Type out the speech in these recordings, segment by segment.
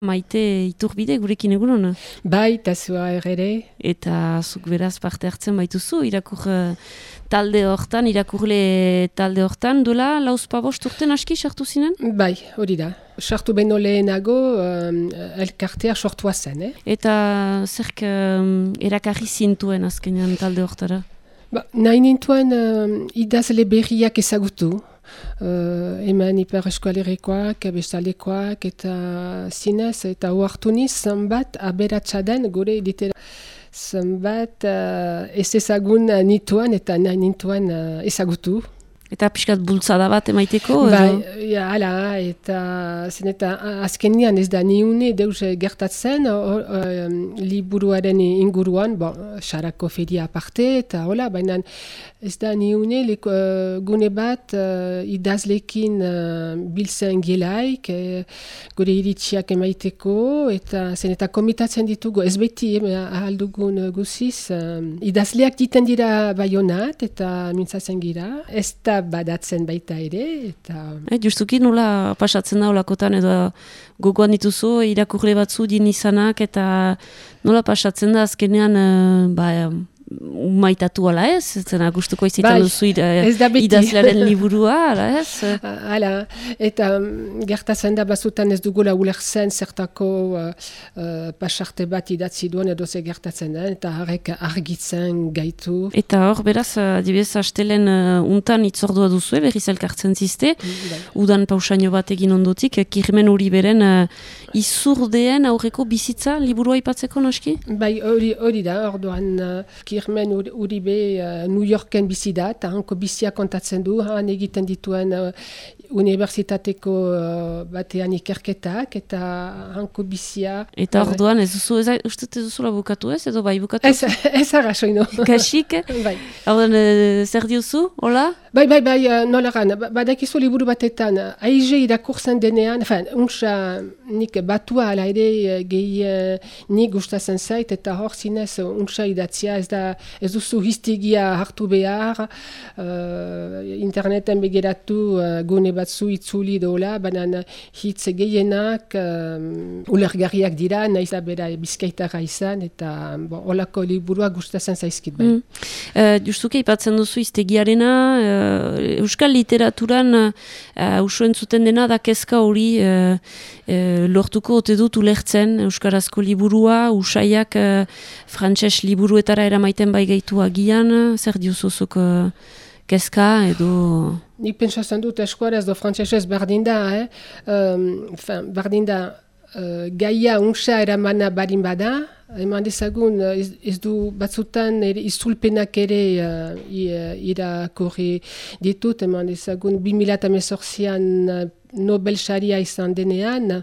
Maite Iturbide gurekin egunon. Bai, eta zua ere. Eta zuk beraz parte hartzen baituzu, irakurle talde hortan, duela lauzpabost urten aski sartu zinen? Bai, hori da. Sartu beno lehenago elkartea sortua zen. Eta zerk erakarri zintuen azkenean talde hortara? Nahi nintuen idazle berriak ezagutu. Hemen Ipar Eskualerikoak, Bestalekoak eta zinez eta ohartu niz zenbat aberatsa den gure litera. Zenbat ez ezagun nituen eta nahi nintuen ezagutu. Eta pixkat bultzada bat emaiteko? Bai, hala, eta azkenian ez da niune deus gertatzen liburuaren inguruan, sarako feria aparte, eta hola, baina ez da niune gune bat idazlekin biltzen gelaik, gure iritsiak emaiteko, eta komitatzen ditugu, ez beti ahaldugun guziz, idazleak diten dira Baionat, eta mintzatzen gira, ez da badatzen baita ere, eta... Justuki nola pasatzen da olakotan, edo gogoan dituzu, irakurle batzu din izanak, eta nola pasatzen da azkenean, maitatu ala ez? Zena gustuko izitan duzu idazlearen liburua, ala ez? Hala, eta gertatzen da bazutan ez dugula ulertzen zertako pasarte bat idatzi duen edo ze gertatzen da, eta harrek argitzen gaitu. Eta hor, beraz, adibidez, astelen untan itzordua duzu, berriz elkartzen ziste, udan pausaino bat egin ondotik, Kirmen Uriberen izurdeen aurreko bizitza liburua aipatzeko noski? Bai, hori da, orduan Kirmen Uribe New Yorken bizi da, eta hanko bizia kontatzen du, han egiten dituen unibertsitateko batean ikerketak, eta hanko bizia... Eta orduan ez duzu, uste ez duzula bukatu ez, edo bai bukatu? Ez arrasoino. Kasik? Bai. Orduan, zer diozu, hola? Bai, nola gan, badakizu liburu batetan, aize irakurtzen denean, untsa nik batua ala ere nik gustatzen zait, eta hor zinez untsa idatzia, ez duzu histigia hartu behar, interneten begiratu gune batzu itzuli dola, baina hitz gehienak ulergarriak dira, nahiz da bera bizkaitara izan, eta holako liburua gustatzen zaizkit bai. Justuke ipatzen duzu hiztegiarena, euskal literaturan usu entzuten dena da kezka hori lortuko ote dut ulertzen euskarazko liburua, usaiak frantses liburuetara eramaiten bai gaitu agian, zer diuzuzuk kezka edo... Nik pentsatzen dut eskuaraz do frantsesez berdin da, berdin da gaia unsa eramana barin bada, eman dezagun ez du batzutan izulpenak ere irakurri ditut, eman dezagun 2018an Nobel saria izan denean,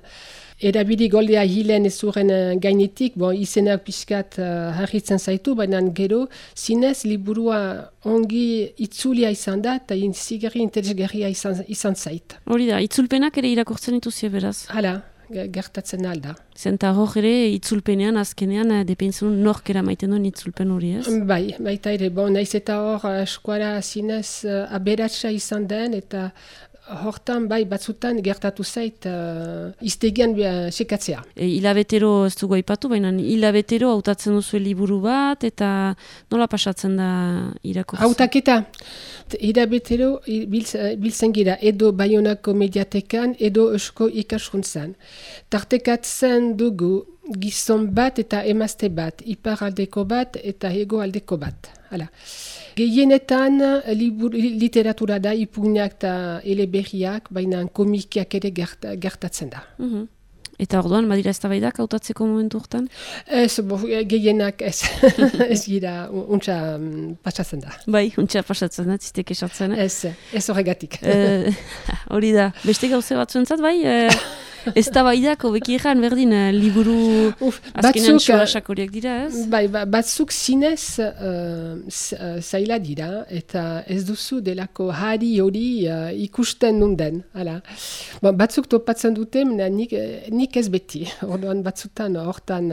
erabili goldea hilen ezuren gainetik, izenak pixkat harritzen zaitu, baina gero zinez liburua ongi itzulia izan da, eta zigarri interesgarria izan zait. Hori da, itzulpenak ere irakurtzen dituzio beraz? Hala, gertatzen alda. Zenta hor ere itzulpenean, azkenean, depentzun nork eramaiten duen itzulpen hori ez? Bai, baita ere, naiz eta hor eskuara zinez aberatsa izan den, eta hortan bai batzutan gertatu zait iztegian sekatzea. Hilabetero ez dugu aipatu, baina hilabetero hautatzen duzu liburu bat, eta nola pasatzen da irakurtzen? Hautaketa, hilabetero biltzen gira, edo Baionako mediatekan, edo Eusko ikaskuntzan. Tartekatzen dugu gizon bat eta emazte bat, iparaldeko bat eta hegoaldeko bat. Hala. Gehienetan literatura da, ipugnak eta eleberriak, baina komikiak ere gertatzen da. Eta orduan, badira ez da baidak hautatzeko momentu hortan? Ez, gehienak ez. Ez gira, untsa pasatzen da. Bai, untsa pasatzen da, ziztek esatzen. Ez horregatik. Hori da, beste gauze batzuentzat, bai? Ez da baidak, hobeki egan, berdin, liburu azkenean txolasak horiek dira, ez? Bai, batzuk zinez zaila dira, eta ez duzu delako hari hori ikusten nunden. Batzuk topatzen dute, nik ez beti. Orduan batzutan hortan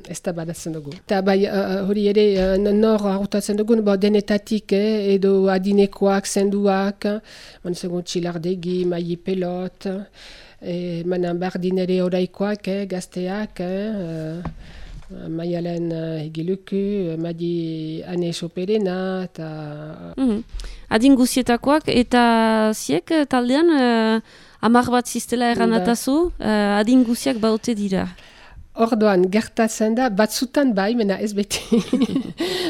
ez da badatzen dugu. Eta bai, hori ere, nor hautatzen dugu, denetatik, edo adinekoak, zenduak, Txilardegi, Maie Pelot, Manan bardin ere oraikoak, gazteak, Maialen egiluku, Madi Ane Soperena, eta... Adin guzietakoak, eta ziek taldean, 10 bat ziztela erranatazu, adin guziak baute dira. Orduan, gertatzen da, batzutan bai, mena ez beti.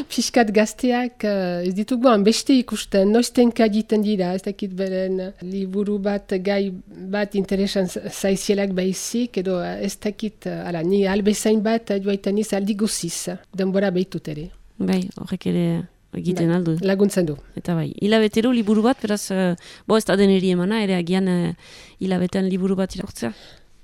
Piskat gazteak, ez dituguan beste ikusten, noiztenka egiten dira, ez dakit beren liburu bat, gai bat interesan zaizielak baizik, edo ez dakit, ni albezain bat, joaiten iz aldi guziz, denbora behitut ere. Bai, horrek ere egiten aldu. Laguntzen du. Eta bai, hilabetero liburu bat, beraz, ez da deneri emana, ere agian hilabetean liburu bat irakurtzea.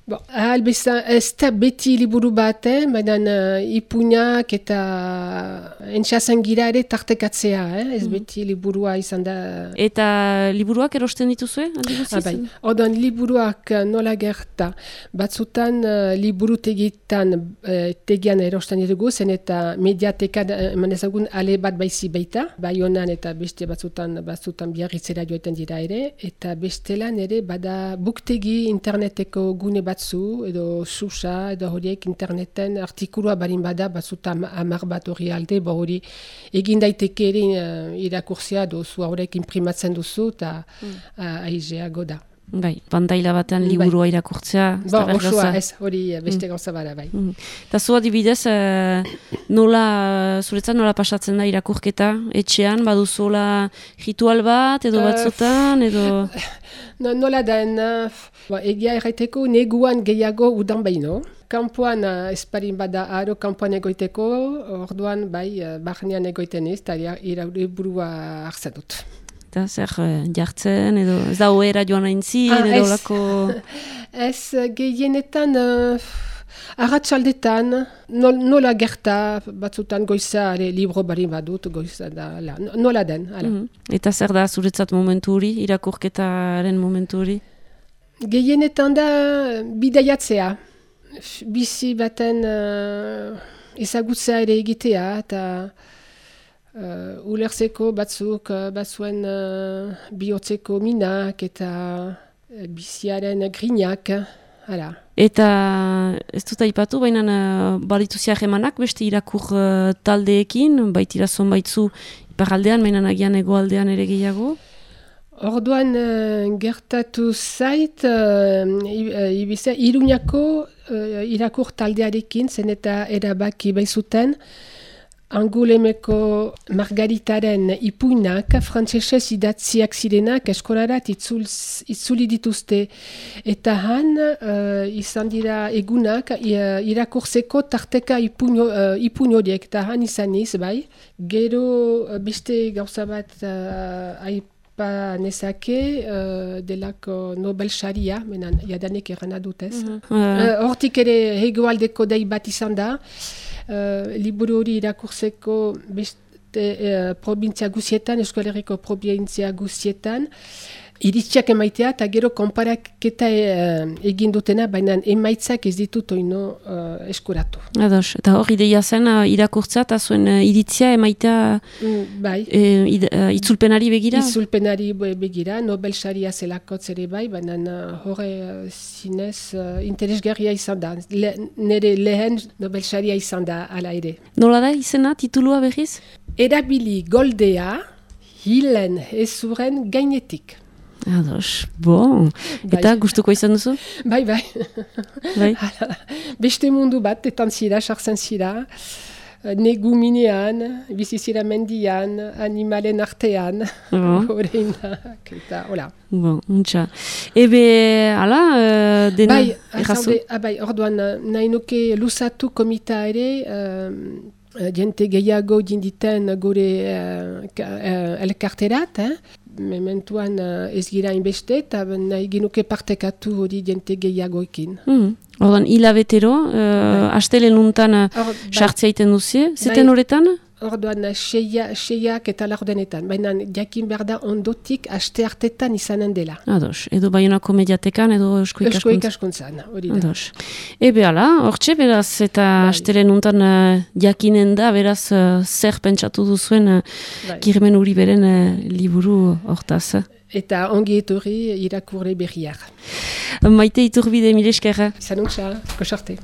Bon, ez da beti liburu bat, baina ipuinak eta entxasen gira ere tartekatzea, ez beti liburua izan da... Eta liburuak erosten dituzue? Bai, orduan liburuak nola gerta, batzutan liburu tegian erosten ditugu, zen eta mediatekan manezagun ale bat baizi baita, bai honan eta beste batzutan biarritzera joetan dira ere, eta bestelan ere bada buktegi interneteko gune batzu, edo susa, edo horiek interneten artikulua barin bada, batzutan 10 bat hori alde, hori egin daiteke ere irakurtzea, dozu horiek imprimatzen duzu, eta aizeago da. Bai, pantaila batean liburua irakurtzea. Osoa, ez, hori beste gauza bada, bai. Eta zu adibidez, zuretzat nola pasatzen da irakurketa, etxean, baduzuela ritual bat, edo batzutan, edo... Nola den, egia erraiteko neguan gehiago udan baino. Kampuan esparin bada aro kampuan egoiteko, orduan bai, barnean egoiten ez, eta iraburua hartzen dut. Eta zer jartzen, edo ez da oera joan aintzin, edo lako... Ez gehienetan... Arratsaldetan, nola gerta batzutan goiza libro barin badut, goiza da, nola den. Eta zer da zuretzat momentu hori, irakurketaren momentu hori? Gehienetan da bidaiatzea, bizi baten ezagutzea ere egitea, eta ulertzeko batzuen bihotzeko minak eta biziaren grinak, hala. Eta ez dut aipatu, baina balitu ziarremanak beste irakur taldeekin, baitira zonbaitzu iparaldean, baina agian hegoaldean ere gehiago? Orduan gertatu zait, Iruñako irakur taldearekin, zen eta erabaki baizuten, Angulemeko Margaritaren ipuinak, frantsesez idatziak zirenak eskolarat itzuli dituzte. Eta han izan dira egunak irakurtzeko tarteka ipuin horiek. Eta han izan iz, bai. Gero beste gauza bat aipa nezake delako Nobel Saria, menan jadanek erana dutez. Hortik ere hegoaldeko dei bat izan da. Liburu hori irakurtzeko beste provintzia guzietan, Euskal Herriko provintzia guzietan, iritziak emaitea eta gero konparaketa egin dutena, baina emaitzak ez ditut oino eskuratu. Ados, eta hor ideia zen irakurtza eta zuen iritzia emaitea itzulpenari begira? Itzulpenari begira, Nobel Saria zelakotz ere bai, baina horre zinez interesgarria izan da. Nire lehen Nobel Saria izan da ala ere. Nola da izena, titulua berriz? Erabili goldea hilen ezuren gainetik. Ados, bon. Eta gustuko izan duzu? Bai. Beste mundu bat, etan zira, sartzen zira, negu minean, bizizira mendian, animalen artean, horreinak, eta hola. Bon, untxa. Ebe, ala, dena errazu? Bai, orduan, nahi nuke luzatu komita ere, jente gehiago jinditen gure elkarterat, mementuan ez gira inbeste, eta nahi genuke partekatu hori jente gehiagoekin. Ordan, hilabetero, astelen untan sartzea iten duzie, zeten horretan? orduan seiak eta laurdenetan, baina jakin behar da ondotik aste hartetan izanen dela. Ados, edo Baionako mediatekan, edo Eusko ikaskuntzan, hori da. Ados. Ebe ala, hortxe beraz, eta astelen untan jakinen da, beraz, zer pentsatu duzuen Kirmen Uriberen liburu hortaz. Eta ongi etorri irakurle berriak. Maite Iturbide, mile eskerra. Zanuntza, kosarte.